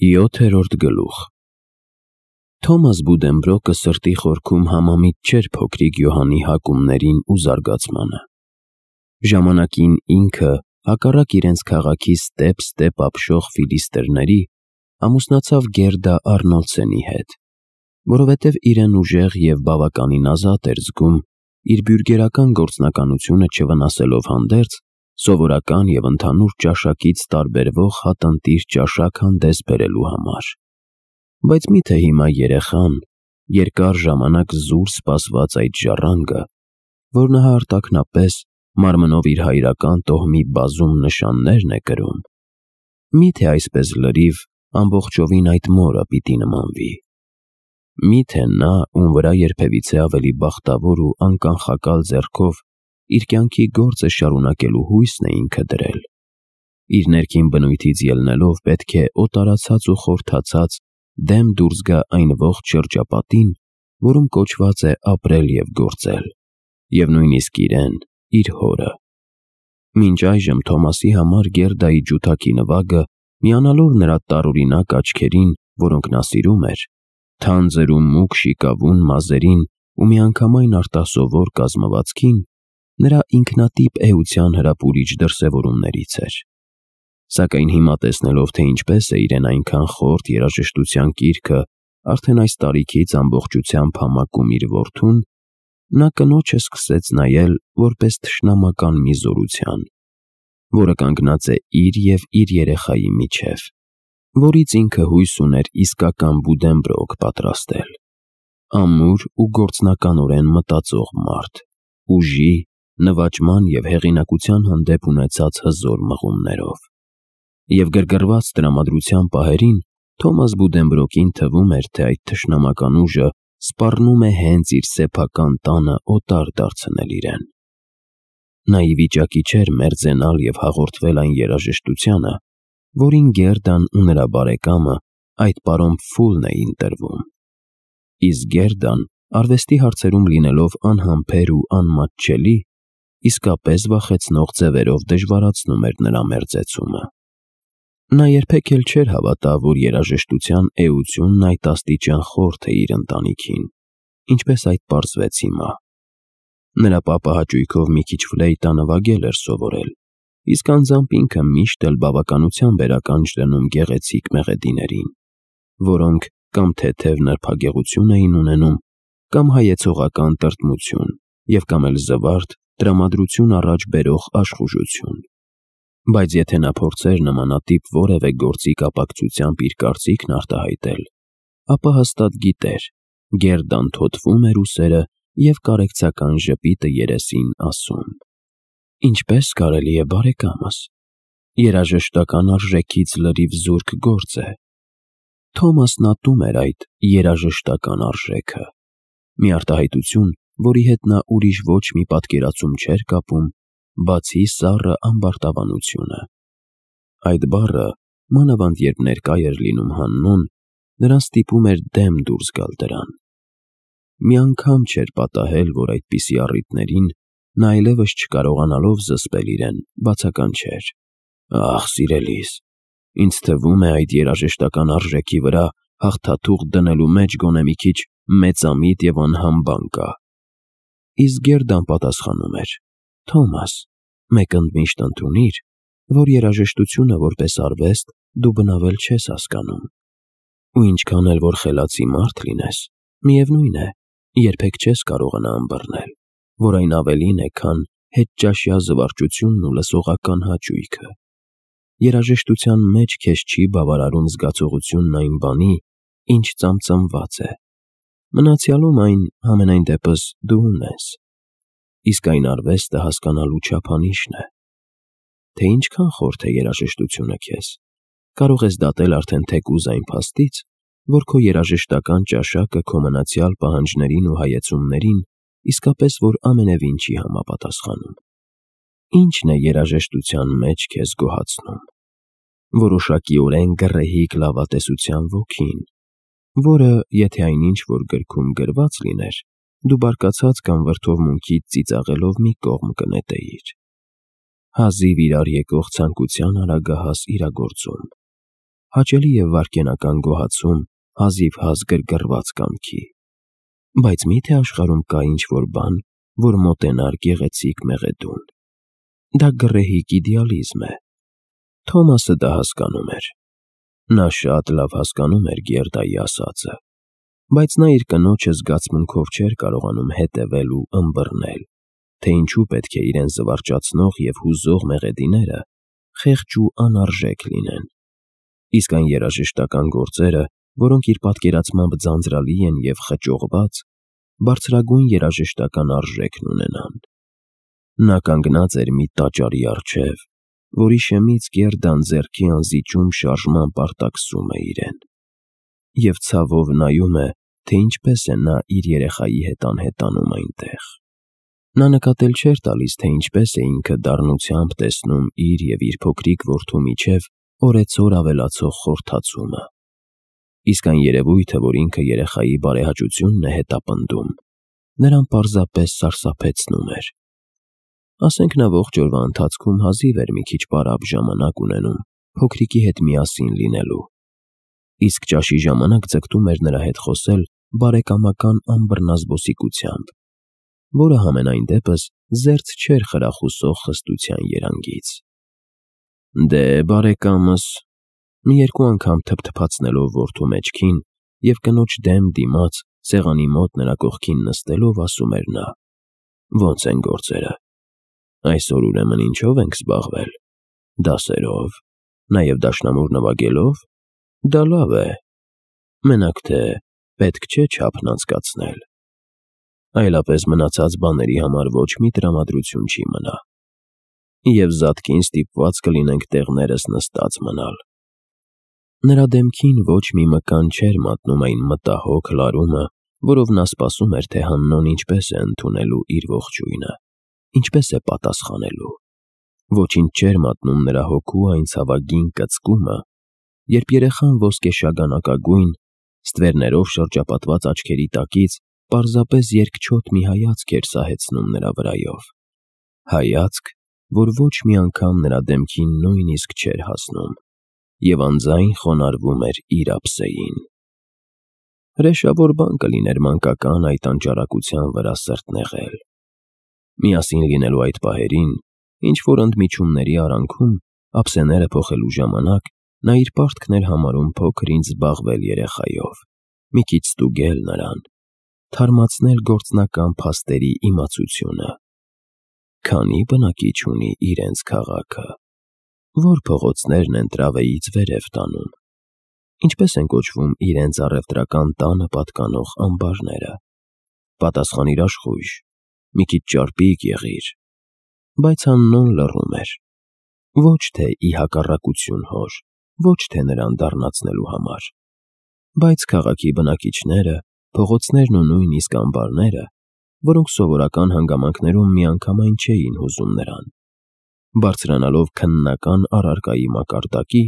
7-րդ գլուխ Թոմաս Բուդենբրոկը սրտի խորքում համամիտ չէր փոքրիկ Յոհանի հակումներին ու զարգացմանը։ Ժամանակին ինքը, հակառակ իրենց քաղաքի ստեպ ապշող ֆիլիստերների, ամուսնացավ Գերդա Արնոլդսենի հետ, որովհետև իրեն ուժեղ և բավականին ազատ էր զգում իր բյուրգերական գործնականությունը չվնասելով հանդերձ, սովորական և ընդհանուր ճաշակից տարբերվող հատնտիր ճաշակ հանդես բերելու համար։ Բայց մի՞թե հիմա երեխան, երկար ժամանակ զուր սպասված այդ ժառանգը, որ նա արտաքնապես մարմնով իր հայրական տոհմի բազում նշաններն է կրում, մի՞թե այսպես լրիվ ամբողջովին այդ մորը պիտի նմանվի։ Մի՞թե նա, ում վրա երբևիցե ավելի բախտավոր ու անկանխակալ ձեռքով իր կյանքի գործը շարունակելու հույսն է ինքը դրել, իր ներքին բնույթից ելնելով պետք է օտարացած ու խորթացած դեմ դուրս գա այն ողջ շրջապատին, որում կոչված է ապրել և գործել, և նույնիսկ իրեն, իր հորը։ Մինչ այժմ Թոմասի համար Գերդայի ջութակի նվագը, միանալով նրա տարօրինակ աչքերին, որոնք նա սիրում էր, թանձր ու մուգ շիկավուն մազերին ու միանգամայն արտասովոր կազմվածքին, նրա ինքնատիպ էության հրապուրիչ դրսևորումներից էր։ Սակայն հիմա տեսնելով, թե ինչպես է իրեն այնքան խորթ երաժշտության կիրքը արդեն այս տարիքից ամբողջությամբ համակում իր որդուն, նա կնոջը սկսեց նայել որպես թշնամական մի զորության, որը կանգնած է իր և իր երեխայի միջև, որից ինքը հույս ուներ իսկական Բուդենբրոկ պատրաստել, ամուր ու գործնականորեն մտածող մարդ, ուժի, նվաճման և հեղինակության հանդեպ ունեցած հզոր մղումներով։ Եվ գրգռված տրամադրության պահերին Թոմաս Բուդենբրոկին թվում էր, թե այդ թշնամական ուժը սպառնում է հենց իր սեփական տանը օտար դարձնել իրեն։ Նա ի վիճակի չէր մերձենալ և հաղորդվել այն երաժշտությանը, որին Գերդան ու նրա բարեկամը, այդ պարոն Փֆուլն էին տրվում։ Իսկ Գերդան, արվեստի հարցերում լինելով անհամբեր ու անմատչելի, իսկապես վախեցնող ձևերով դժվարացնում էր նրա մերձեցումը։ Նա երբեք էլ չէր հավատա, որ երաժշտության էությունն այդ աստիճան խորթ է իր ընտանիքին, ինչպես այդ պարզվեց հիմա։ Նրա պապը հաճույքով մի քիչ ֆլեյտա նվագել էր սովորել, իսկ անձամբ ինքը միշտ էլ բավականությամբ էր ականջ դնում գեղեցիկ մեղեդիներին, որոնք կամ թեթև նրբագեղություն էին ունենում, կամ հայեցողական տրտմություն և կամ էլ զվարթ, տրամադրություն առաջ բերող աշխուժություն։ Բայց եթե նա փորձեր նմանատիպ որևէ գործի կապակցությամբ իր կարծիքն արտահայտել, ապա հաստատ գիտեր, Գերդան թոթվում էր ուսերը և կարեկցական ժպիտը երեսին ասում. «Ինչպես կարելի է, բարեկամս, երաժշտական արժեքից լրիվ զուրկ գործ է»։ Թոմասն ատում էր այդ երաժշտական արժեքը, մի արտահայտություն, որի հետ նա ուրիշ ոչ մի պատկերացում չէր կապում, բացի սառը ամբարտավանությունը։ Այդ բառը, մանավանդ երբ ներկա էր լինում Հաննուն, նրան ստիպում էր դեմ դուրս գալ դրան։ Մի անգամ չէր պատահել, որ այդպիսի առիթներին նա այլևս չկարողանալով զսպել իրեն, բացականչեր. «Ախ, սիրելիս, ինձ թվում է այդ երաժշտական արժեքի վրա հաղթաթուղթ դնելու մեջ գոնե մի քիչ մեծամիտ և անհամբան կա»։ Իսկ Գերդան պատասխանում էր. «Թոմաս, մեկ ընդմիշտ ընդունիր, որ երաժշտությունը որպես արվեստ դու բնավել չես հասկանում, ու ինչքան էլ որ խելացի մարդ լինես, միևնույն է, երբեք չես կարողանա ըմբռնել, որ այն ավելին է, քան հետճաշյա զվարճությունն ու լսողական հաճույքը։ Երաժշտության մեջ քեզ չի բավարարում զգացողությունն այն բանի, ինչ ծամծամված է։ Մնացյալում այն, համենայն դեպս, դու ունես։ Իսկ այն արվեստը հասկանալու չափանիշն է։ Թե ինչքան խորթ է երաժշտությունը քեզ, կարող ես դատել արդեն թեկուզ այն փաստից, որ քո երաժշտական ճաշակը քո մնացյալ պահանջներին ու հայեցումներին իսկապես որ ամենևին չի համապատասխանում։ Ի՞նչն է երաժշտության մեջ քեզ գոհացնում։ Որոշակիորեն գռեհիկ լավատեսության ոգին, որը, եթե այնինչ որ գրքում գրված լիներ, դու բարկացած կամ վրդովմունքից ծիծաղելով մի կողմ կնետեիր։ Հազիվ իրար եկող ցանկության արագահաս իրագործում։ հաճելի և վայրկենական գոհացում, հազիվ-հազ գրգռված կամքի։ Բայց մի՞թե աշխարհում կա ինչ-որ բան, որ մոտենար գեղեցիկ մեղեդուն։ Դա գռեհիկ իդեալիզմ է։ Թոմասը դա հասկանում էր։ Նա շատ լավ հասկանում էր Գերդայի ասածը, բայց նա իր կնոջը զգացմունքով չէր կարողանում հետևել ու ըմբռնել, թե ինչու պետք է իրեն զվարճացնող և հուզող մեղեդիները խեղճ ու անարժեք լինեն, իսկ այն երաժշտական գործերը, որոնք իր պատկերացմամբ ձանձրալի են և խճողված, բարձրագույն երաժշտական արժեքն ունենան։ Նա կանգնած էր մի տաճարի առջև, որի շեմից Գերդան ձեռքի անզիջում շարժմամբ արտաքսում է իրեն, և ցավով նայում է, թե ինչպես է նա իր երեխայի հետ անհետանում այնտեղ։ Նա նկատել չէր տալիս, թե ինչպես է ինքը դառնությամբ տեսնում իր և իր փոքրիկ որդու միջև օրեցօր ավելացող խորթացումը, իսկ այն երևույթը, որ ինքը երեխայի բարեհաճությունն է հետապնդում, նրան պարզապես սարսափեցնում էր։ Ասենք նա ողջ օրվա ընթացքում հազիվ էր մի քիչ պարապ ժամանակ ունենում փոքրիկի հետ միասին լինելու, իսկ ճաշի ժամանակ ձգտում էր նրա հետ խոսել բարեկամական անբռնազբոսիկությամբ, որը համենայն դեպս զերծ չէր խրախուսող խստության երանգից։ «Դե, բարեկամս», մի երկու անգամ թփթփացնելով որդու մեջքին և կնոջ դեմ դիմաց սեղանի մոտ նրա կողքին նստելով, ասում էր նա. «Ո՞նց են գործերը։ Այսօր ուրեմն ինչո՞վ ենք զբաղվել։ Դասերով, նաև դաշնամուր նվագելով։ Դա լավ է։ Մենակ թե պետք չէ չափն անցկացնել։ Այլապես մնացած բաների համար ոչ մի տրամադրություն չի մնա, և զատկին ստիպված կլինենք տեղներս նստած մնալ»։ Նրա դեմքին ոչ մի մկան չէր մատնում այն մտահոգ լարումը, որով նա սպասում էր, թե Հաննոն ինչպես է ընդունելու իր ողջույնը, ինչպես է պատասխանելու։ Ոչինչ չէր մատնում նրա հոգու այն ցավագին կծկումը, երբ երեխան ոսկեշագանակագույն, ստվերներով շրջապատված աչքերի տակից պարզապես երկչոտ մի հայացք էր սահեցնում նրա վրայով, հայացք, որ ոչ մի անգամ նրա դեմքին նույնիսկ չէր հասնում, և անձայն խոնարհվում էր իր ափսեին։ Հրեշավոր բան կլիներ մանկական այդ անճարակության վրա սրտնեղել։ Միասին լինելու այդ պահերին, ինչ-որ ընդմիջումների արանքում, ափսեները փոխելու ժամանակ, նա իր պարտքն էր համարում փոքր-ինչ զբաղվել երեխայով, մի քիչ ստուգել նրան, թարմացնել գործնական փաստերի իմացությունը։ Քանի՞ բնակիչ ունի իրենց քաղաքը։ Ո՞ր փողոցներն են Տրավեից վերև տանում։ Ինչպես են կոչվում իրենց առևտրական տանը պատկանող ամբարները։ Պատասխանիր աշխույժ, մի քիչ ճարպիկ եղիր։ Բայց Հաննոն լռում էր։ Ոչ թե ի հակառակություն հոր, ոչ թե նրան դառնացնելու համար, բայց քաղաքի բնակիչները, փողոցներն ու նույնիսկ ամբարները, որոնք սովորական հանգամանքներում միանգամայն չէին հուզում նրան, բարձրանալով քննական առարկայի մակարդակի,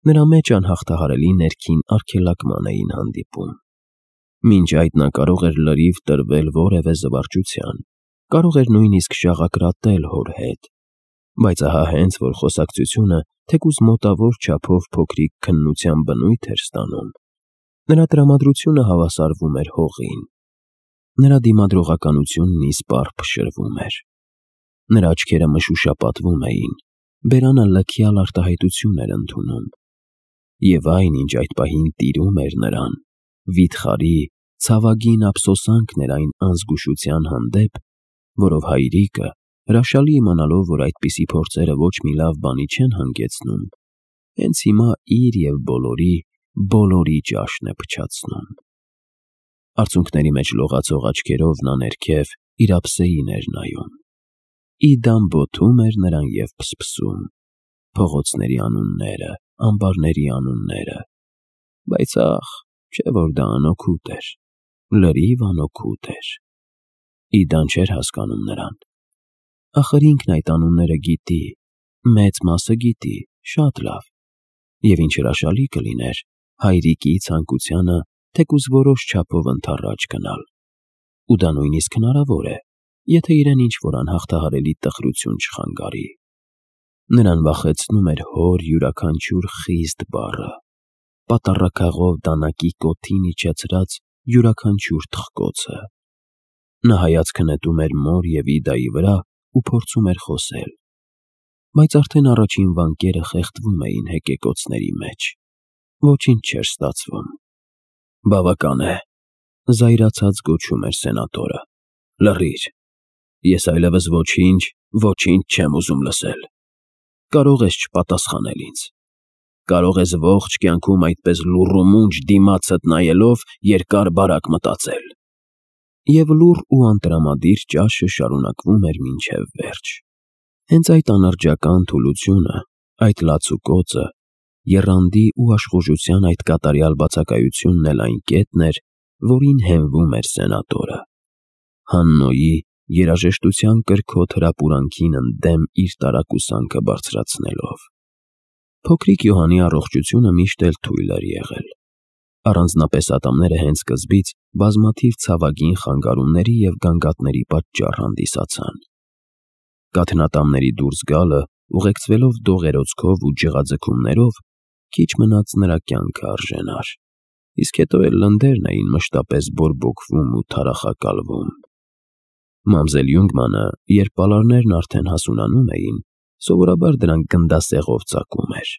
նրա մեջ անհաղթահարելի ներքին արգելակման էին հանդիպում։ Մինչ այդ նա կարող էր լրիվ տրվել որևէ զվարճության, կարող էր նույնիսկ շաղակրատել հոր հետ, բայց ահա հենց որ խոսակցությունը թեկուզ մոտավոր չափով փոքրիկ քննության բնույթ էր ստանում, նրա տրամադրությունը հավասարվում էր հողին, նրա դիմադրողականությունն իսպառ փշրվում էր, նրա աչքերը մշուշապատվում էին, բերանը լքյալ արտահայտություն էր ընդունում, և այն, ինչ այդ պահին տիրում էր նրան, վիթխարի, ցավագին ափսոսանքն էր այն անզգուշության հանդեպ, որով հայրիկը, հրաշալի իմանալով, որ այդպիսի փորձերը ոչ մի լավ բանի չեն հանգեցնում, հենց հիմա իր և բոլորի ճաշն է փչացնում։ Արցունքների մեջ լողացող աչքերով նա ներքև իր ափսեին էր նայում։ Իդան բոթում էր նրան և փսփսում, փողոցների անունները, ամբարների անունները, բայց ախ, չէ որ դա անօգուտ էր, լրիվ անօգուտ էր։ Իդան չէր հասկանում նրան։ Ախր ինքն այդ անունները գիտի, մեծ մասը գիտի, շատ լավ, և ինչ հրաշալի կլիներ հայրիկի ցանկությանը թեկուզ որոշ չափով ընդառաջ գնալ, ու դա նույնիսկ հնարավոր է, եթե իրեն ինչ-որ անհաղթահարելի տխրություն չխանգարի։ Նրան վախեցնում էր հոր յուրաքանչյուր խիստ բառը, պատառաքաղով դանակի կոթին իջեցրած յուրաքանչյուր թխկոցը։ Նա հայացքը նետում էր մոր և Իդայի վրա ու փորձում էր խոսել, բայց արդեն առաջին վանկերը խեղդվում էին հեկեկոցների մեջ։ Ոչինչ չէր ստացվում։ «Բավական է», զայրացած գոչում էր սենատորը։ «Լռիր, ես այլևս ոչինչ չեմ ուզում լսել։ Կարող ես չպատասխանել ինձ, կարող ես ողջ կյանքում այդպես լուռ ու մունջ դիմացդ նայելով երկար-բարակ մտածել»։ Եվ լուռ ու անտրամադիր ճաշը շարունակվում էր մինչև վերջ։ Հենց այդ անրջական թուլությունը, այդ լացուկոցը, եռանդի ու աշխուժության այդ կատարյալ բացակայությունն էլ այն կետն էր, որին հենվում էր սենատորը։ Հաննոյի երաժշտության կրքոտ հրապուրանքին ընդդեմ իր տարակուսանքը բարձրացնելով։ Փոքրիկ Յոհանի առողջությունը միշտ էլ թույլ էր եղել։ Առանձնապես ատամները հենց սկզբից բազմաթիվ ցավագին խանգարումների և գանգատների պատճառ հանդիսացան։ Կաթնատամների դուրս գալը, ուղեկցվելով դողերոցքով ու ջղաձգումներով, քիչ մնաց նրա կյանքը արժենար, իսկ հետո էլ լնդերն էին մշտապես բորբոքվում ու թարախակալվում։ Մամզել Յունգմանը, երբ պալարներն արդեն հասունանում էին, սովորաբար դրանք գնդասեղով ծակում էր։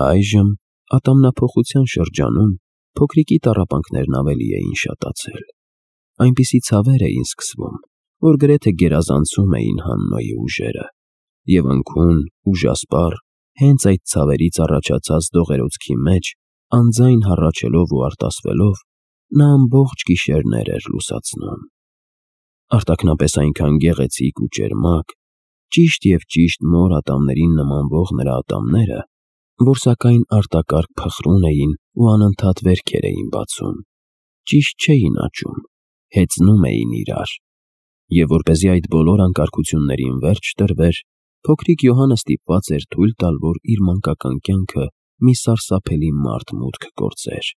Այժմ, ատամնափոխության շրջանում, փոքրիկի տառապանքներն ավելի էին շատացել։ Այնպիսի ցավեր էին սկսվում, որ գրեթե գերազանցում էին Հաննոյի ուժերը, և ընկուն, ուժասպառ, հենց այդ ցավերից առաջացած դողերոցքի մեջ, անձայն հառաչելով ու արտասվելով, նա ամբողջ գիշերներ էր լուսացնում։ Արտաքնապես այնքան գեղեցիկ ու ճերմակ, ճիշտ և ճիշտ մոր ատամներին նմանվող նրա ատամները, որ սակայն արտակարգ փխրուն էին ու անընդհատ վերքեր էին բացում, ճիշտ չէին աճում, հեծնում էին իրար։ Եվ որպեսզի այդ բոլոր անկարգություններին վերջ տրվեր, փոքրիկ Յոհանը ստիպված էր թույլ տալ, որ իր մանկական կյանքը մի սարսափելի մարդ մուտք գործեր։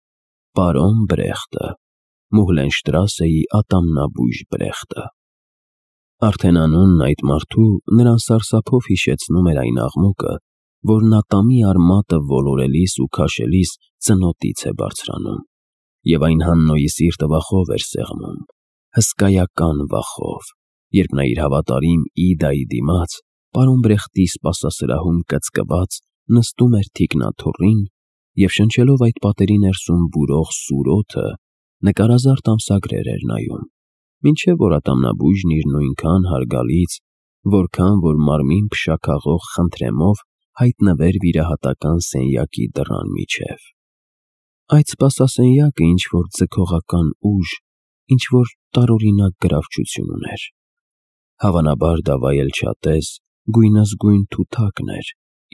Պարոն Բրեխտը, Մուհլենշտրասեի ատամնաբույժ Բրեխտը։ Արդեն անունն այդ մարդու նրան սարսափով հիշեցնում էր այն աղմուկը, որն ատամի արմատը ոլորելիս ու քաշելիս ծնոտից է բարձրանում, և այն Հաննոյի սիրտը վախով էր սեղմում, հսկայական վախով, երբ նա իր հավատարիմ Իդայի դիմաց, պարոն Բրեխտի սպասասրահում կծկված, նստում էր թիկնաթոռին և շնչելով այդ պատերի ներսում բուրող սուր օդը, նկարազարդ ամսագրեր էր նայում, մինչև որ ատամնաբույժն իր նույնքան հարգալից, որքան որ մարմին փշաքաղող խնդրեմով հայտնվեր վիրահատական սենյակի դռան միջև։ Այդ սպասասենյակը ինչ-որ ձգողական ուժ, ինչ-որ տարօրինակ գրավչություն ուներ։ Հավանաբար դա վայելչատես, գույնզգույն թութակն էր,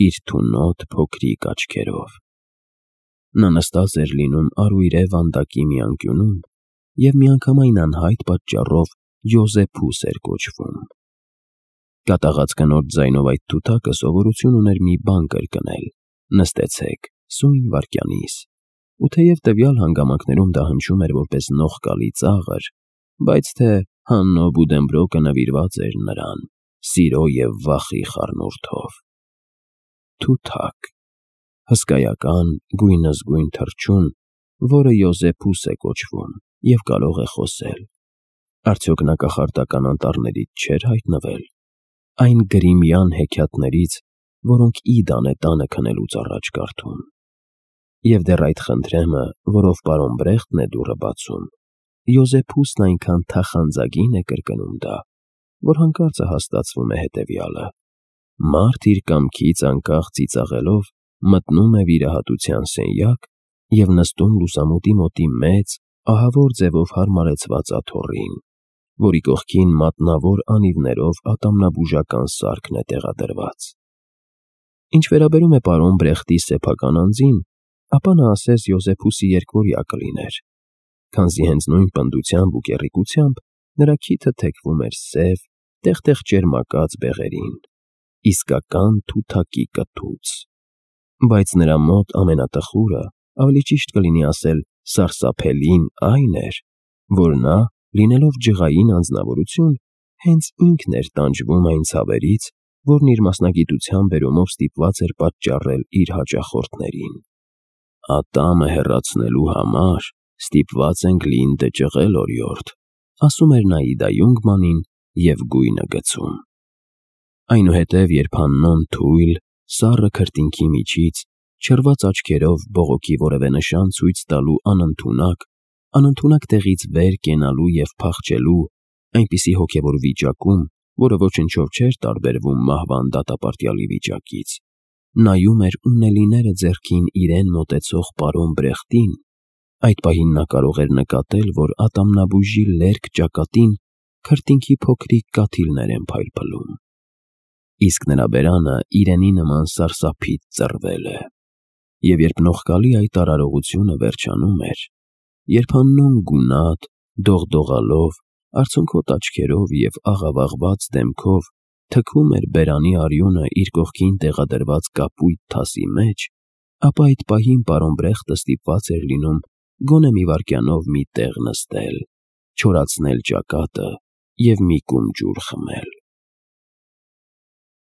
իր թունոտ փոքրիկ աչքերով։ Նա նստած էր լինում արույրե վանդակի մի անկյունում և միանգամայն անհայտ պատճառով Յոզեփուս էր կոչվում։ Կատաղած կնոջ ձայնով այդ թութակը սովորություն ուներ մի բան կրկնել. «Նստեցեք, սույն վայրկյանիս», ու թեև տվյալ հանգամանքներում դա հնչում էր որպես նողկալի ծաղր, բայց թե Հաննո Բուդենբրոկը նվիրված էր նրան սիրո և վախի խառնուրդով։ Թութակ, հսկայական գույնզգույն թռչուն, որը Յոզեփուս է կոչվում և կարող է խոսել։ Արդյոք նա կախարդական անտառներից չէր հայտնվել, այն գրիմյան հեքիաթներից, որոնք Իդան է տանը քնելուց առաջ կարդում։ Եվ դեռ այդ խնդրեմը, որով պարոն Բրեխտն է դուռը բացում, Յոզեփուսն այնքան թախանձագին է կրկնում դա, որ հանկարծը հասկացվում է հետևյալը. մարդ իր կամքից անկախ ծիծաղելով մտնում է վիրահատության սենյակ և նստում լուսամուտի մոտի մեծ, ահավոր ձևով հարմարեցված աթոռին, որի կողքին մատնավոր անիվներով ատամնաբուժական սարքն է տեղադրված։ Ինչ վերաբերում է պարոն Բրեխտի սեփական անձին, ապա նա ասես Յոզեփուսի երկվորյա կլիներ, քանզի հենց նույն պնդությամբ ու կեռիկությամբ նրա քիթը թեքվում էր սև, տեղ-տեղ ճերմակած բեղերին, իսկական թութակի կթուց։ Բայց նրա մոտ ամենատխուրը, ավելի ճիշտ կլինի ասել սարսափելին այն էր, որ նա, լինելով ջղային անձնավորություն, հենց ինքն էր տանջվում այն ցավերից, որն իր մասնագիտության բերումով ստիպված էր պատճառել իր հաճախորդներին։ Ատամը հեռացնելու համար ստիպված ենք լինտը ճղել օրիորդ, ասում էր նա Իդա Յունգմանին և գույնը գցում։ Այնուհետև երբ Աննոն թույլ, սառը քրտինքի միջից, չռված աչքերով բողոքի որևէ նշան ցույց տալու անընդունակ տեղից վեր կենալու և փախչելու, այնպիսի հոգևոր վիճակում, որը ոչնչով չէր տարբերվում մահվան դատապարտյալի վիճակից, նայում էր ունելիները ձեռքին իրեն մոտեցող պարոն Բրեխտին, այդ պահին նա կարող էր նկատել, որ ատամնաբույժի լերկ ճակատին քրտինքի փոքրիկ կաթիլներ են փայլփլում։ Իսկ նրա բերանը իրենի նման սարսափից ծռվել է։ Եվ երբ նողկալի այդ արարողությունը վերջանում էր, երբ Աննոն գունատ, դողդողալով, արցունքոտ աչքերով և աղավաղված դեմքով թքում էր բերանի արյունը իր կողքին տեղադրված կապույտ թասի մեջ, ապա այդ պահին պարոն Բրեխտը ստիպված էր լինում գոնե մի վայրկյանով մի տեղ նստել, չորացնել ճակատը և մի կում ջուր խմել։